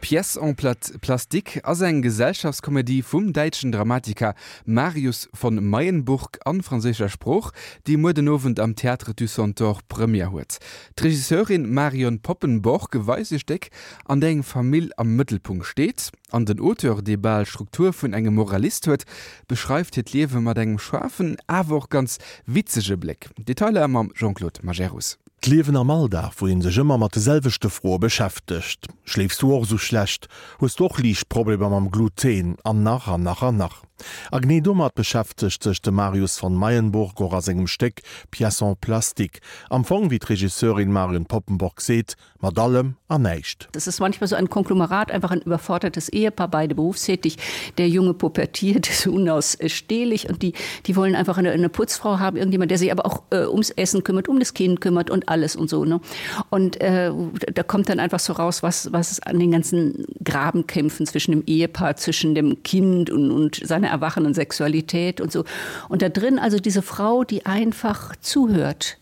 Pièce en plastique ass eng Gesellschaftskomedie vum däitschen Dramatiker Marius von Mayenburg an franséischer Sprooch, déi muer den Owend am Théâtre du Centaure Première huet. D'Regisseurin Marion Poppenborg weist e Stéck, an där eng Famill am Mëttelpunkt steet, an den Auteur, dee bal d'Struktur vun engem Moralist huet, beschreift hiert Liewe mat engem schaarfen, awer och ganz witzege Bléck. Detailer mam Jean-Claude Majerus. D'Liewen am Alldag, wou een sech ëmmer mat de selwechte Froe beschäftegt. Schléifs du och esou schlecht? Hues du och liicht Problemer mam Gluten? An nach an nach an nach. A genee domat beschäftegt sech de Marius von Mayenburg och a sengem Stéck Pièce en plastique. Am Fong, wéi d'Regisseurin Marion Poppenborg seet, Mat allem an näischt. Das ist manchmal so ein Konglomerat, einfach ein überfordertes Ehepaar, beide berufstätig. Der Junge pubertiert, ist unausstehlich und die, die wollen einfach eine, eine Putzfrau haben, irgendjemand, der sich aber auch äh, ums Essen kümmert, um das Kind kümmert und alles und so. Ne? Und äh, da kommt dann einfach so raus, was, was an den ganzen Grabenkämpfen zwischen dem Ehepaar, zwischen dem Kind und, und seiner erwachenden Sexualität und so. Und da drin also diese Frau, die einfach zuhört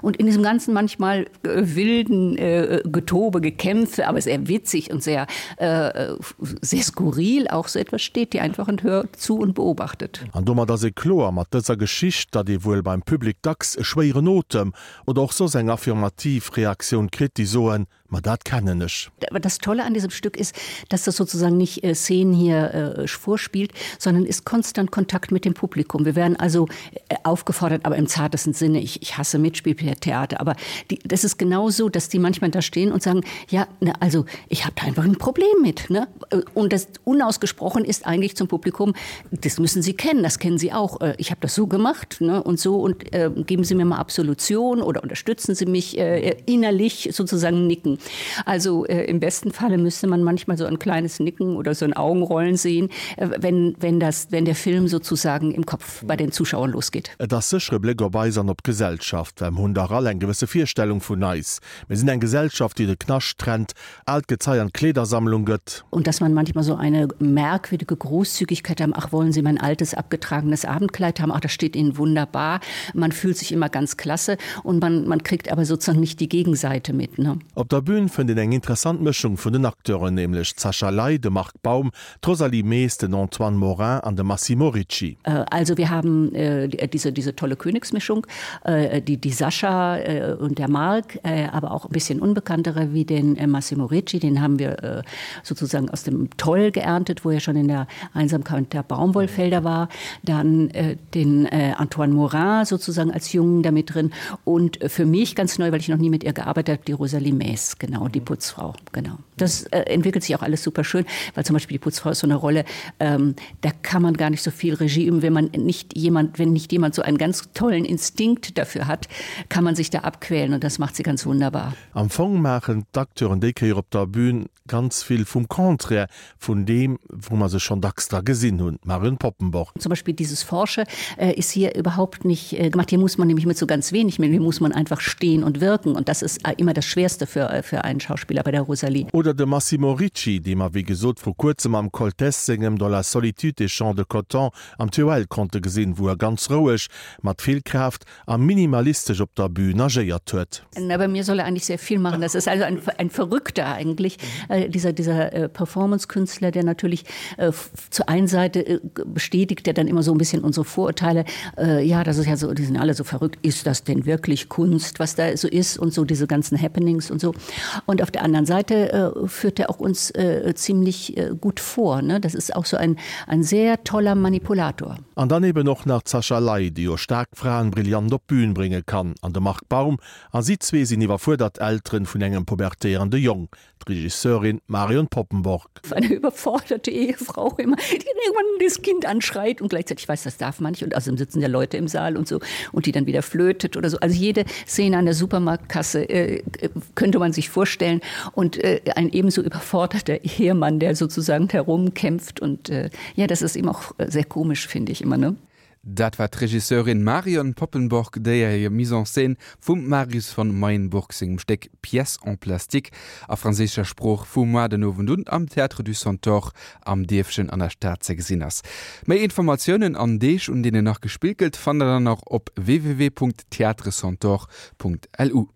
Und in diesem ganzen manchmal äh, wilden äh, Getobe, Gekämpfe, aber sehr witzig und sehr, äh, sehr skurril auch so etwas steht, die einfach und hört zu und beobachtet. An domat ass et kloer mat dëser Geschicht, datt ee wuel beim Public dacks e schwéieren Otem oder och soss eng affirmativ Reaktioun kritt, déi soen, Ma dat kennen ech. Aber das Tolle an diesem Stück ist, dass das sozusagen nicht äh, Szenen hier äh, vorspielt, sondern ist konstant Kontakt mit dem Publikum. Wir werden also äh, aufgefordert, aber im zartesten Sinne, ich, ich hasse Mitspieltheater, aber die, das ist genauso, dass die manchmal da stehen und sagen, ja, ne, also ich habe da einfach ein Problem mit. Ne? Äh, und das unausgesprochen ist eigentlich zum Publikum, das müssen Sie kennen, das kennen Sie auch. Äh, ich habe das so gemacht ne, und so und äh, geben Sie mir mal Absolution oder unterstützen Sie mich äh, innerlich sozusagen nicken. Also äh, im besten Falle müsste man manchmal so ein kleines Nicken oder so ein Augenrollen sehen, äh, wenn, wenn, das, wenn der Film sozusagen im Kopf bei den Zuschauern losgeht. Et ass sécher e Bléck op eis an op d'Gesellschaft, well mer hunn dach all eng gewësse Virstellung vun eis. Mir sinn eng Gesellschaft, déi de Knascht trennt, aalt Gezei an d'Kleedersammlung gëtt. Und dass man manchmal so eine merkwürdige Großzügigkeit haben, ach wollen Sie mein altes abgetragenes Abendkleid haben, ach das steht Ihnen wunderbar. Man fühlt sich immer ganz klasse und man, man kriegt aber sozusagen nicht die Gegenseite mit. Ne? Op der Bün fënnt een eng interessant Mëschung vun den Acteuren, nämlech d'Sascha Ley, de Marc Baum, d'Rosalie Mees, den Antoine Morin an de Massimo Ricci. Also wir haben diese, diese tolle Königsmischung, die, die Sascha und der Marc, aber auch ein bisschen unbekanntere wie den Massimo Ricci, den haben wir sozusagen aus dem Toll geerntet, wo er schon in der Einsamkeit der Baumwollfelder war. Dann den Antoine Morin sozusagen als Jungen damit drin und für mich ganz neu, weil ich noch nie mit ihr gearbeitet habe, die Rosalie Mees, genau, die Putzfrau, genau. Das äh, entwickelt sich auch alles super schön, weil zum Beispiel die Putzfrau ist so eine Rolle, ähm, da kann man gar nicht so viel Regie üben, wenn man nicht jemand, wenn nicht jemand so einen ganz tollen Instinkt dafür hat, kann man sich da abquälen und das macht sie ganz wunderbar. Am Fong maachen d'Acteuren déi Kéier op der Bühn ganz vill vum Contraire vun deem, wou mer se schonn dacks dra gesinn hunn. Marion Poppenborg. Zum Beispiel dieses Forsche äh, ist hier überhaupt nicht äh, gemacht. Hier muss man nämlich mit so ganz wenig, hier muss man einfach stehen und wirken und das ist äh, immer das Schwerste für, äh, für einen Schauspieler bei der Rosalie. Oder de Massimo Ricci, dee mer wéi gesot vru kuerzem am Koltès sengem Dans la solitude des champs de coton am TOL konnte gesinn, wou e ganz roueg, mat vill Kraaft a minimalistesch op der Bühn agéiert huet. Na, bei mir soll er eigentlich sehr viel machen. Das ist also ein, ein Verrückter eigentlich, äh, dieser, dieser äh, Performance-Künstler, der natürlich äh, zur einen Seite äh, bestätigt er dann immer so ein bisschen unsere Vorurteile. Äh, ja, das ist ja so, die sind alle so verrückt. Ist das denn wirklich Kunst, was da so ist und so diese ganzen Happenings und so. Und auf der anderen Seite äh, führt er auch uns äh, ziemlich äh, gut vor. Ne? Das ist auch so ein, ein sehr toller Manipulator. An dann eben och nach d'Sascha Ley, déi jo staark Fraen brillant op d'Bühn brénge kann, an de Marc Baum, a si zwee sinn iwwerfuerdert Elteren vun engem pubertéierende Jong, d'Regisseurin Marion Poppenborg. Eine überforderte Ehefrau immer, die dann irgendwann das Kind anschreit und gleichzeitig weiß, das darf man nicht und außerdem sitzen ja Leute im Saal und so und die dann wieder flötet oder so. Also jede Szene an der Supermarktkasse äh, könnte man sich vorstellen und äh, ein ebenso überforderter Ehemann, der sozusagen herumkämpft und äh, ja, das ist eben auch äh, sehr komisch, finde ich immer ne. Dat war d'Regisseurin Marion Poppenborg, déi hir Mise en scène vum Marius von Mayenburg sengem Stéck Pièce en plastique a franséischer Sprooch vu muar den Owend un am Théâtre du Centaure am Dierfchen an der Stad ze gesinn ass. Méi Informatiounen an Deeg, un deenen nach gespillt gëtt, fannt der dann och op www.theatrecentaure.lu.